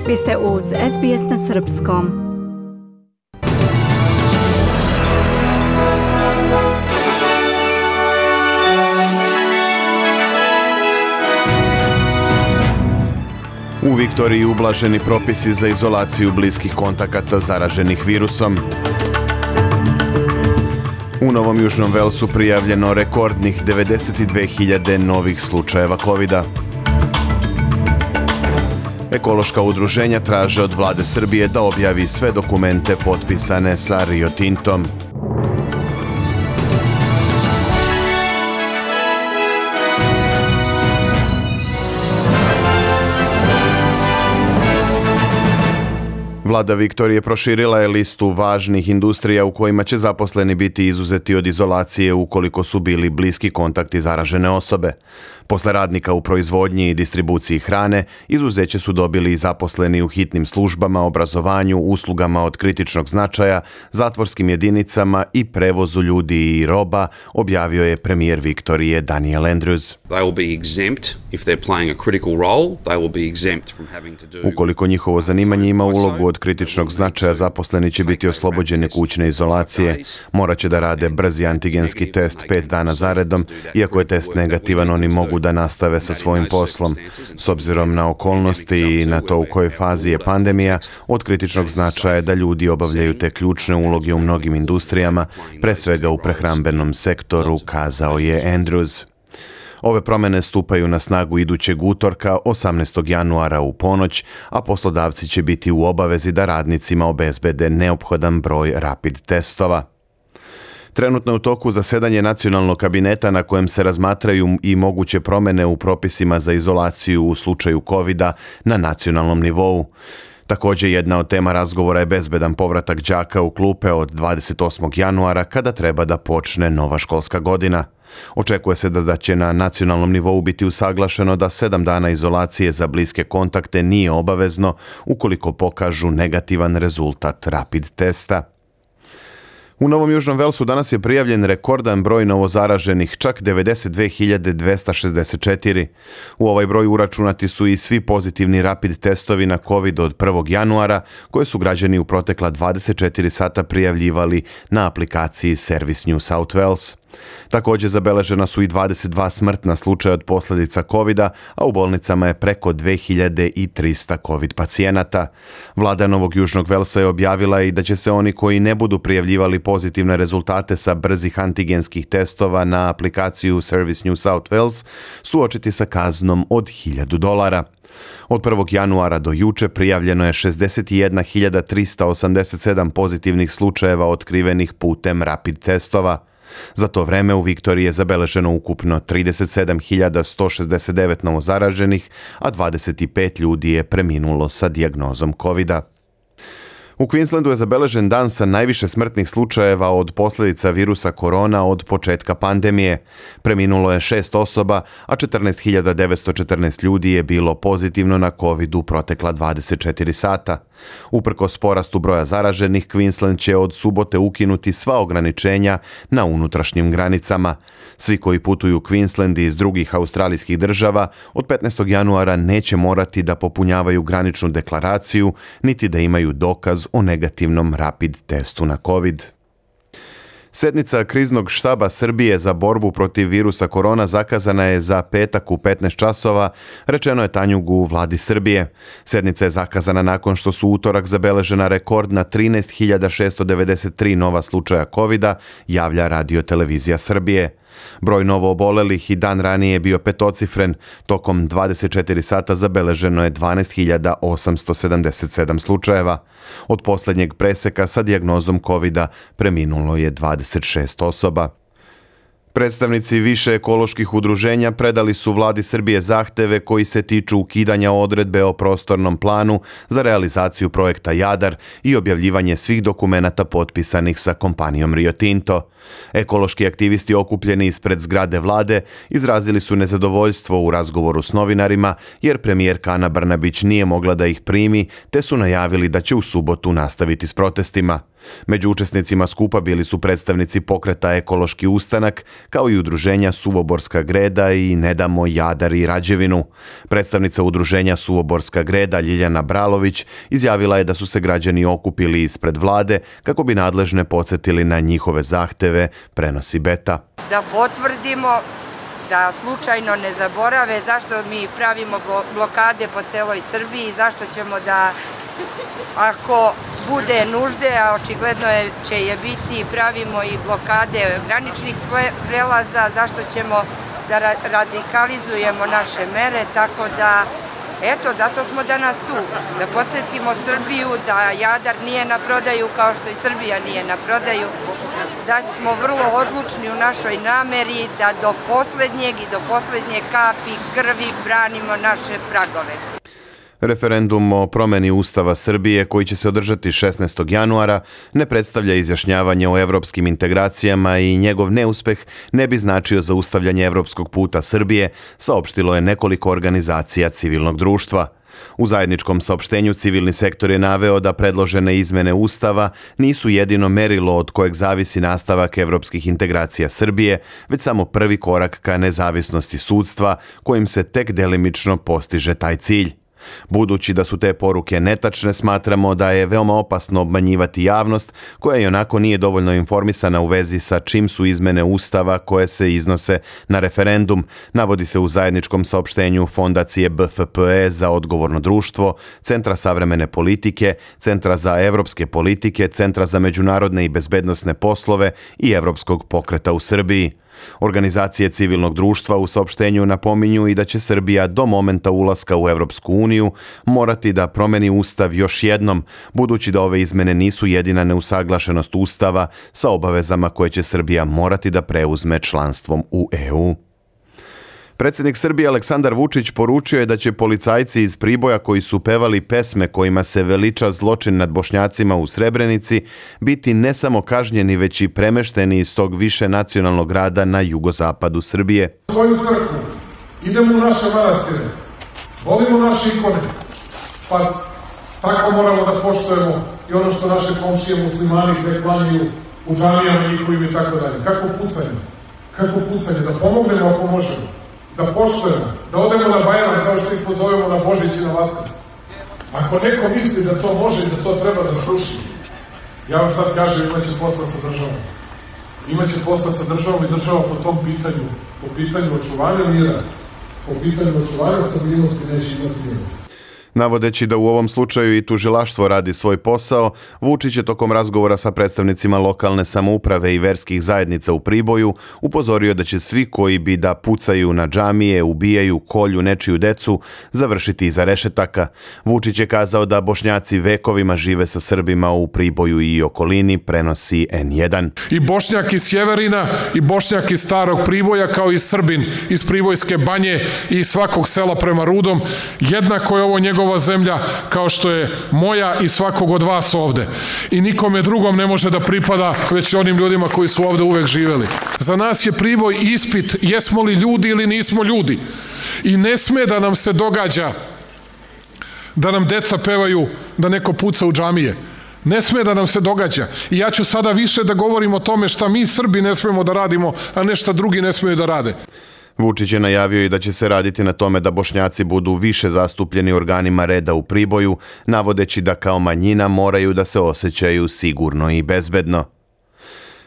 Vi ste uz SBS na Srpskom. U Viktoriji ublaženi propisi za izolaciju bliskih kontakata zaraženih virusom. U Novom Južnom Velsu prijavljeno rekordnih 92.000 novih slučajeva COVID-a. Ekološka udruženja traže od vlade Srbije da objavi sve dokumente potpisane sa Rio Tintom. Vlada Viktorije proširila je listu važnih industrija u kojima će zaposleni biti izuzeti od izolacije ukoliko su bili bliski kontakti zaražene osobe. Posle radnika u proizvodnji i distribuciji hrane, izuzeće su dobili i zaposleni u hitnim službama, obrazovanju, uslugama od kritičnog značaja, zatvorskim jedinicama i prevozu ljudi i roba, objavio je premijer Viktorije Daniel Andrews. Ukoliko njihovo zanimanje ima ulogu od kritičnog značaja, zaposleni će biti oslobođeni kućne izolacije. Morat će da rade brzi antigenski test 5 dana zaredom, iako je test negativan, oni mogu da nastave sa svojim poslom. S obzirom na okolnosti i na to u kojoj fazi je pandemija, od kritičnog značaja je da ljudi obavljaju te ključne uloge u mnogim industrijama, pre svega u prehrambenom sektoru, kazao je Andrews. Ove promene stupaju na snagu idućeg utorka, 18. januara u ponoć, a poslodavci će biti u obavezi da radnicima obezbede neophodan broj rapid testova. Trenutno je u toku zasedanje nacionalnog kabineta na kojem se razmatraju i moguće promene u propisima za izolaciju u slučaju COVID-a na nacionalnom nivou. Također jedna od tema razgovora je bezbedan povratak đaka u klupe od 28. januara kada treba da počne nova školska godina. Očekuje se da će na nacionalnom nivou biti usaglašeno da 7 dana izolacije za bliske kontakte nije obavezno ukoliko pokažu negativan rezultat rapid testa. U Novom Južnom Velsu danas je prijavljen rekordan broj novozaraženih, čak 92.264. U ovaj broj uračunati su i svi pozitivni rapid testovi na COVID od 1. januara, koje su građani u protekla 24 sata prijavljivali na aplikaciji Service New South Wales. Također zabeležena su i 22 smrtna slučaja od posljedica COVID-a, a u bolnicama je preko 2300 COVID pacijenata. Vlada Novog Južnog Velsa je objavila i da će se oni koji ne budu prijavljivali pozitivne rezultate sa brzih antigenskih testova na aplikaciju Service New South Wales suočiti sa kaznom od $1.000. Od 1. januara do juče prijavljeno je 61.387 pozitivnih slučajeva otkrivenih putem rapid testova. Za to vreme u Viktoriji je zabeleženo ukupno 37.169 novozaraženih, a 25 ljudi je preminulo sa dijagnozom COVID-a. U Queenslandu je zabeležen dan sa najviše smrtnih slučajeva od posljedica virusa korona od početka pandemije. Preminulo je 6 osoba, a 14.914 ljudi je bilo pozitivno na COVID u protekla 24 sata. Uprkos porastu broja zaraženih, Queensland će od subote ukinuti sva ograničenja na unutrašnjim granicama. Svi koji putuju u Queensland iz drugih australijskih država od 15. januara neće morati da popunjavaju graničnu deklaraciju, niti da imaju dokaz o negativnom rapid testu na COVID. Sednica kriznog štaba Srbije za borbu protiv virusa korona zakazana je za petak u 15 časova, rečeno je Tanjugu u vladi Srbije. Sednica je zakazana nakon što su utorak zabeležena rekordna 13.693 nova slučaja COVID-a, javlja Radio-televizija Srbije. Broj novoobolelih i dan ranije je bio petocifren, tokom 24 sata zabeleženo je 12.877 slučajeva. Od posljednjeg preseka sa dijagnozom COVID-a preminulo je 26 osoba. Predstavnici više ekoloških udruženja predali su vladi Srbije zahteve koji se tiču ukidanja odredbe o prostornom planu za realizaciju projekta Jadar i objavljivanje svih dokumenata potpisanih sa kompanijom Rio Tinto. Ekološki aktivisti okupljeni ispred zgrade vlade izrazili su nezadovoljstvo u razgovoru s novinarima jer premijerka Ana Brnabić nije mogla da ih primi, te su najavili da će u subotu nastaviti s protestima. Među učesnicima skupa bili su predstavnici pokreta Ekološki ustanak, kao i udruženja Suvoborska greda i Ne damo Jadar i Rađevinu. Predstavnica udruženja Suvoborska greda Ljiljana Bralović izjavila je da su se građani okupili ispred vlade kako bi nadležne podsjetili na njihove zahteve, prenosi Beta. Da potvrdimo, da slučajno ne zaborave zašto mi pravimo blokade po celoj Srbiji, zašto ćemo da, ako bude nužde, a očigledno će je biti, pravimo i blokade graničnih prelaza, zašto ćemo da radikalizujemo naše mere, tako da, eto, zato smo danas tu, da podsjetimo Srbiju da Jadar nije na prodaju kao što i Srbija nije na prodaju, da smo vrlo odlučni u našoj nameri da do poslednjeg i do poslednje kapi krvi branimo naše pragove. Referendum o promeni Ustava Srbije, koji će se održati 16. januara, ne predstavlja izjašnjavanje o evropskim integracijama i njegov neuspeh ne bi značio zaustavljanje evropskog puta Srbije, saopštilo je nekoliko organizacija civilnog društva. U zajedničkom saopštenju civilni sektor je naveo da predložene izmene Ustava nisu jedino merilo od kojeg zavisi nastavak evropskih integracija Srbije, već samo prvi korak ka nezavisnosti sudstva, kojim se tek delimično postiže taj cilj. Budući da su te poruke netačne, smatramo da je veoma opasno obmanjivati javnost koja i onako nije dovoljno informisana u vezi sa čim su izmene Ustava koje se iznose na referendum, navodi se u zajedničkom saopštenju Fondacije BFPE za odgovorno društvo, Centra savremene politike, Centra za evropske politike, Centra za međunarodne i bezbednosne poslove i Evropskog pokreta u Srbiji. Organizacije civilnog društva u saopštenju napominju i da će Srbija do momenta ulaska u Evropsku uniju morati da promeni Ustav još jednom, budući da ove izmene nisu jedina neusaglašenost Ustava sa obavezama koje će Srbija morati da preuzme članstvom u EU. Predsjednik Srbije Aleksandar Vučić poručio je da će policajci iz Priboja koji su pevali pesme kojima se veliča zločin nad Bošnjacima u Srebrenici biti ne samo kažnjeni, već i premešteni iz tog više nacionalnog grada na jugozapadu Srbije. U svoju crkvu, idemo u naše manastire, volimo naše ikone, pa tako moramo da poštujemo i ono što naše komšije muslimani preklanjaju u džamijama njihovim i tako dalje. Kako pucanje, da pomognemo ako možemo. Da poštujemo, da odemo na Bajram kao što ih pozovemo na Božić i na Vaskrs. Ako neko misli da to može i da to treba da sluši, ja vam sad kažem, imaće posla sa državom. Imaće posla sa državom i država po tom pitanju, po pitanju očuvanja mira, po pitanju očuvanja stabilnosti neće imati milosti. Navodeći da u ovom slučaju i tužilaštvo radi svoj posao, Vučić je tokom razgovora sa predstavnicima lokalne samouprave i verskih zajednica u Priboju upozorio da će svi koji bi da pucaju na džamije, ubijaju, kolju nečiju decu, završiti iza rešetaka. Vučić je kazao da Bošnjaci vekovima žive sa Srbima u Priboju i okolini, prenosi N1. I Bošnjak iz Sjeverina, i Bošnjak iz Starog Priboja, kao i Srbin iz Pribojske banje i svakog sela prema Rudom, jednako je ovo njegova zemlja kao što je moja i svakog od vas ovde. I nikome drugom ne može da pripada, već onim ljudima koji su ovde uvek živeli. Za nas je Priboj ispit jesmo li ljudi ili nismo ljudi. I ne sme da nam se događa da nam deca pevaju da neko puca u džamije. Ne sme da nam se događa. I ja ću sada više da govorim o tome šta mi Srbi ne smemo da radimo, a ne šta drugi ne smeju da rade. Vučić je najavio i da će se raditi na tome da Bošnjaci budu više zastupljeni organima reda u Priboju, navodeći da kao manjina moraju da se osjećaju sigurno i bezbedno.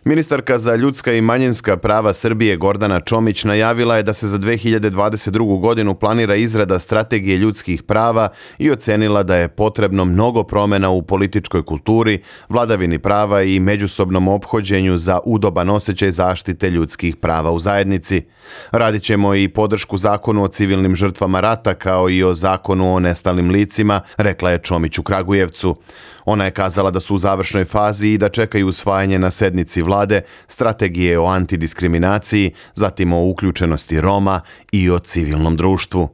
Ministarka za ljudska i manjinska prava Srbije Gordana Čomić najavila je da se za 2022. godinu planira izrada strategije ljudskih prava i ocenila da je potrebno mnogo promjena u političkoj kulturi, vladavini prava i međusobnom ophođenju za udoban osjećaj zaštite ljudskih prava u zajednici. Radit ćemo i podršku zakonu o civilnim žrtvama rata kao i o zakonu o nestalim licima, rekla je Čomić u Kragujevcu. Ona je kazala da su u završnoj fazi i da čekaju usvajanje na sednici vlade strategije o antidiskriminaciji, zatim o uključenosti Roma i o civilnom društvu.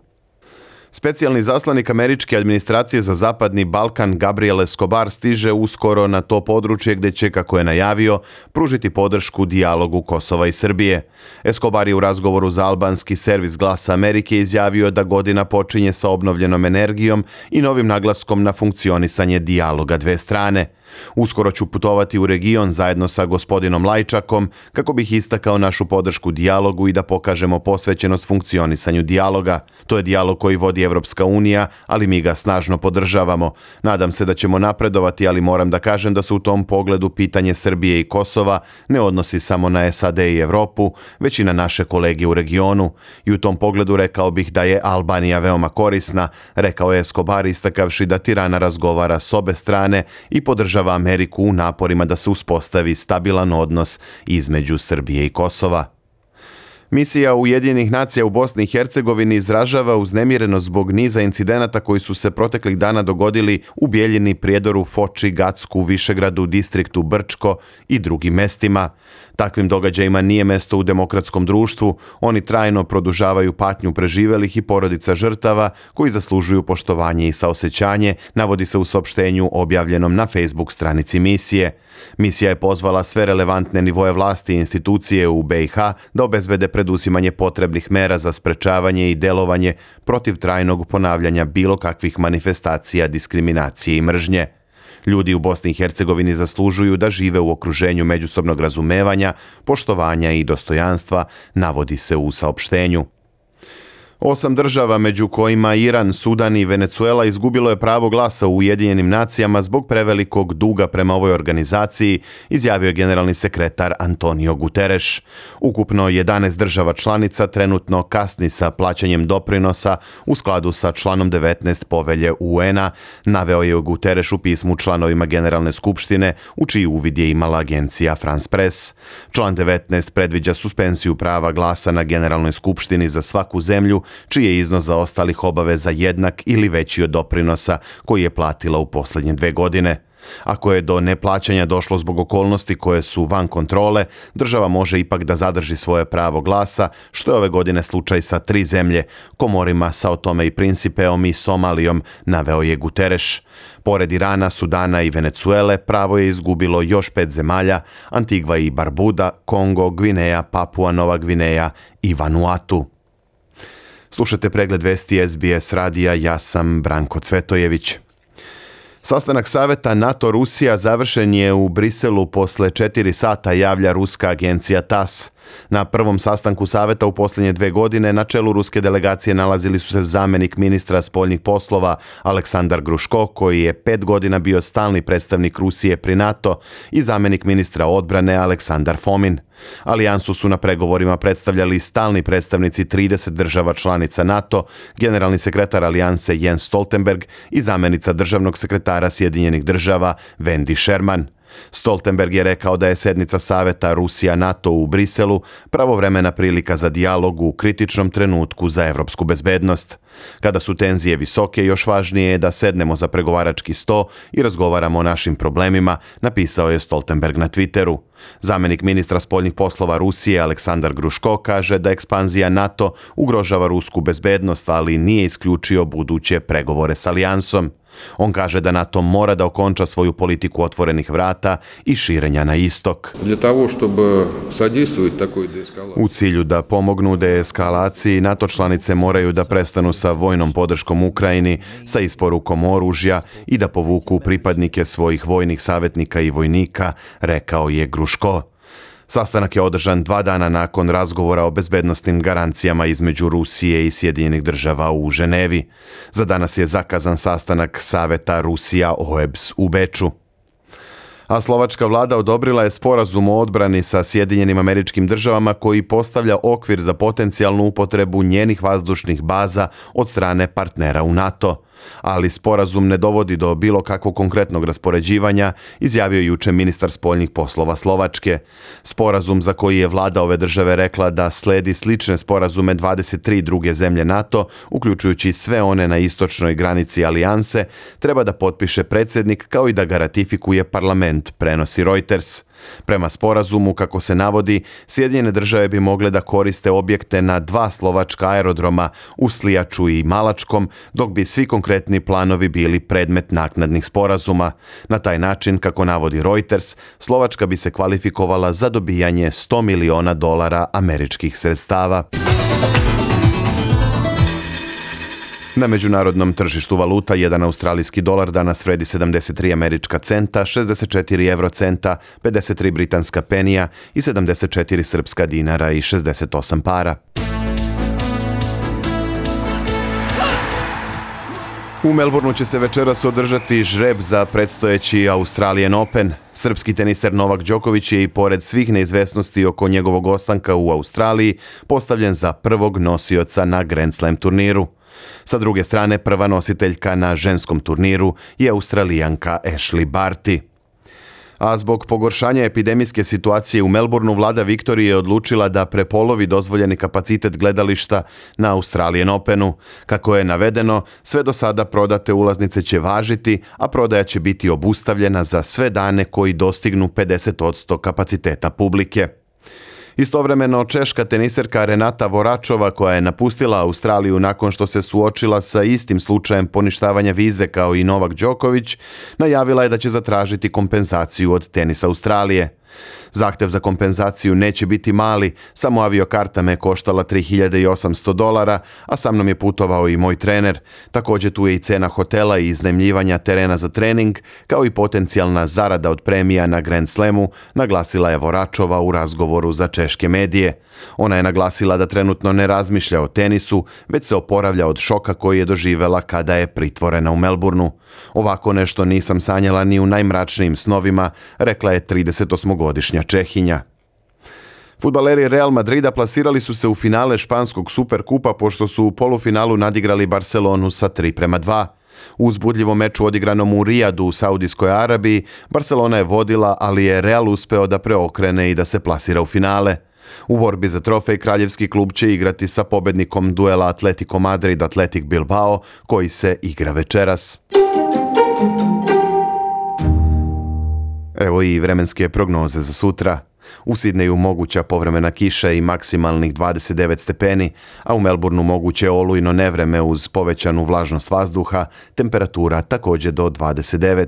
Specijalni zaslanik američke administracije za Zapadni Balkan Gabriel Escobar stiže uskoro na to područje gdje će, kako je najavio, pružiti podršku dijalogu Kosova i Srbije. Escobar je u razgovoru za albanski servis Glasa Amerike izjavio da godina počinje sa obnovljenom energijom i novim naglaskom na funkcionisanje dijaloga dve strane. Uskoro ću putovati u region zajedno sa gospodinom Lajčakom kako bih istakao našu podršku dijalogu i da pokažemo posvećenost funkcionisanju dijaloga. To je dijalog koji vodi Evropska unija, ali mi ga snažno podržavamo. Nadam se da ćemo napredovati, ali moram da kažem da se u tom pogledu pitanje Srbije i Kosova ne odnosi samo na SAD i Evropu, već i na naše kolege u regionu. I u tom pogledu rekao bih da je Albanija veoma korisna, rekao je Escobar istakavši da Tirana razgovara s obe strane i podržava Ameriku u naporima da se uspostavi stabilan odnos između Srbije i Kosova. Misija Ujedinjenih nacija u Bosni i Hercegovini izražava uznemirenost zbog niza incidenata koji su se proteklih dana dogodili u Bijeljini, Prijedoru, Foči, Gacku, Višegradu, distriktu Brčko i drugim mestima. Takvim događajima nije mesto u demokratskom društvu, oni trajno produžavaju patnju preživelih i porodica žrtava koji zaslužuju poštovanje i saosećanje, navodi se u saopštenju objavljenom na Facebook stranici misije. Misija je pozvala sve relevantne nivoe vlasti i institucije u BiH da obezbede preduzimanje potrebnih mera za sprečavanje i delovanje protiv trajnog ponavljanja bilo kakvih manifestacija diskriminacije i mržnje. Ljudi u Bosni i Hercegovini zaslužuju da žive u okruženju međusobnog razumevanja, poštovanja i dostojanstva, navodi se u saopštenju. 8 država, među kojima Iran, Sudan i Venezuela, izgubilo je pravo glasa u Ujedinjenim nacijama zbog prevelikog duga prema ovoj organizaciji, izjavio je generalni sekretar Antonio Guterres. Ukupno 11 država članica trenutno kasni sa plaćanjem doprinosa u skladu sa članom 19 povelje UN-a, naveo je Guterres u pismu članovima Generalne skupštine, u čiji uvid je imala agencija France Press. Član 19 predviđa suspenziju prava glasa na Generalnoj skupštini za svaku zemlju čiji je iznos zaostalih obaveza jednak ili veći od doprinosa koji je platila u posljednje 2 godine. Ako je do neplaćanja došlo zbog okolnosti koje su van kontrole, država može ipak da zadrži svoje pravo glasa, što je ove godine slučaj sa 3 zemlje, Komorima, Sao Tome i Principeom i Somalijom, naveo je Guterres. Pored Irana, Sudana i Venezuele, pravo je izgubilo još 5 zemalja, Antigva i Barbuda, Kongo, Gvineja, Papua Nova Gvineja i Vanuatu. Slušajte pregled vesti SBS radija, ja sam Branko Cvetojević. Sastanak saveta NATO-Rusija završen je u Briselu posle 4 sata, javlja ruska agencija TASS. Na prvom sastanku saveta u posljednje 2 godine na čelu ruske delegacije nalazili su se zamjenik ministra spoljnih poslova Aleksandar Gruško, koji je 5 godina bio stalni predstavnik Rusije pri NATO, i zamjenik ministra odbrane Aleksandar Fomin. Alijansu su na pregovorima predstavljali stalni predstavnici 30 država članica NATO, generalni sekretar alijanse Jens Stoltenberg i zamjenica državnog sekretara Sjedinjenih država Wendy Sherman. Stoltenberg je rekao da je sednica saveta Rusija-NATO u Briselu pravovremena prilika za dijalog u kritičnom trenutku za evropsku bezbednost. Kada su tenzije visoke, još važnije je da sednemo za pregovarački sto i razgovaramo o našim problemima, napisao je Stoltenberg na Twitteru. Zamjenik ministra spoljnih poslova Rusije Aleksandar Gruško kaže da ekspanzija NATO ugrožava rusku bezbednost, ali nije isključio buduće pregovore s alijansom. On kaže da NATO mora da okonča svoju politiku otvorenih vrata i širenja na istok. U cilju da pomognu deeskalaciji, NATO članice moraju da prestanu sa vojnom podrškom Ukrajini, sa isporukom oružja i da povuku pripadnike svojih vojnih savjetnika i vojnika, rekao je Gruško. Sastanak je održan 2 dana nakon razgovora o bezbednosnim garancijama između Rusije i Sjedinjenih država u Ženevi. Za danas je zakazan sastanak saveta Rusija-OEBS u Beču. A slovačka vlada odobrila je sporazum o odbrani sa Sjedinjenim Američkim Državama koji postavlja okvir za potencijalnu upotrebu njenih vazdušnih baza od strane partnera u NATO. Ali sporazum ne dovodi do bilo kakvog konkretnog raspoređivanja, izjavio juče ministar spoljnih poslova Slovačke. Sporazum, za koji je vlada ove države rekla da sledi slične sporazume 23 druge zemlje NATO, uključujući sve one na istočnoj granici alijanse, treba da potpiše predsjednik kao i da ga ratifikuje parlament, prenosi Reuters. Prema sporazumu, kako se navodi, Sjedinjene države bi mogle da koriste objekte na 2 slovačka aerodroma u Slijaču i Malačkom, dok bi svi konkretni planovi bili predmet naknadnih sporazuma. Na taj način, kako navodi Reuters, Slovačka bi se kvalifikovala za dobijanje $100 miliona američkih sredstava. Na međunarodnom tržištu valuta jedan australijski dolar danas vredi 73 američka centa, 64 eurocenta, 53 britanska penija i 74 srpska dinara i 68 para. U Melbourneu će se večeras održati žreb za predstojeći Australian Open. Srpski teniser Novak Đoković je i pored svih neizvesnosti oko njegovog ostanka u Australiji postavljen za prvog nosioca na Grand Slam turniru. Sa druge strane, prva nositeljka na ženskom turniru je Australijanka Ashley Barty. A zbog pogoršanja epidemijske situacije u Melbourneu, vlada Viktorije je odlučila da prepolovi dozvoljeni kapacitet gledališta na Australian Openu. Kako je navedeno, sve do sada prodate ulaznice će važiti, a prodaja će biti obustavljena za sve dane koji dostignu 50% kapaciteta publike. Istovremeno, češka teniserka Renata Voračova, koja je napustila Australiju nakon što se suočila sa istim slučajem poništavanja vize kao i Novak Đoković, najavila je da će zatražiti kompenzaciju od Tenisa Australije. Zahtev za kompenzaciju neće biti mali, samo aviokarta me koštala $3.800, a sa mnom je putovao i moj trener. Također tu je i cena hotela i iznajmljivanja terena za trening, kao i potencijalna zarada od premija na Grand Slamu, naglasila je Voračova u razgovoru za češke medije. Ona je naglasila da trenutno ne razmišlja o tenisu, već se oporavlja od šoka koji je doživela kada je pritvorena u Melbourneu. Ovako nešto nisam sanjala ni u najmračnijim snovima, rekla je 38-godišnja Čehinja. Fudbaleri Real Madrida plasirali su se u finale španskog Superkupa pošto su u polufinalu nadigrali Barcelonu sa 3:2. U uzbudljivom meču odigranom u Rijadu u Saudijskoj Arabiji, Barcelona je vodila, ali je Real uspeo da preokrene i da se plasira u finale. U borbi za trofej kraljevski klub će igrati sa pobednikom duela Atletico Madrid-Athletic Bilbao, koji se igra večeras. Evo i vremenske prognoze za sutra. U Sidneju moguća povremena kiša i maksimalnih 29 stepeni, a u Melbourneu moguće olujno nevreme uz povećanu vlažnost vazduha, temperatura također do 29.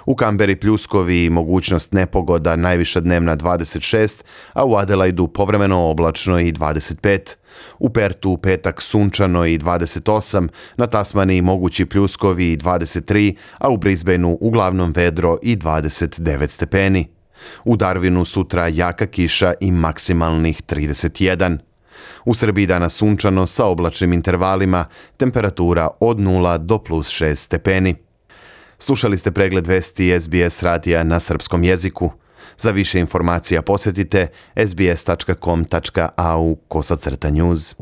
U Kamberi pljuskovi i mogućnost nepogoda, najviša dnevna 26, a u Adelaidu povremeno oblačno i 25. U Pertu u petak sunčano i 28, na Tasmaniji mogući pljuskovi i 23, a u Brisbaneu uglavnom vedro i 29 stepeni. U Darwinu sutra jaka kiša i maksimalnih 31. U Srbiji danas sunčano sa oblačnim intervalima, temperatura od 0 do +6 stepeni. Slušali ste pregled vesti SBS radija na srpskom jeziku. Za više informacija posjetite sbs.com.au/news.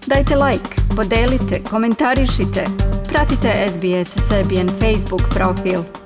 Dajte like, podelite, komentarišite. Pratite SBS Serbian Facebook profil.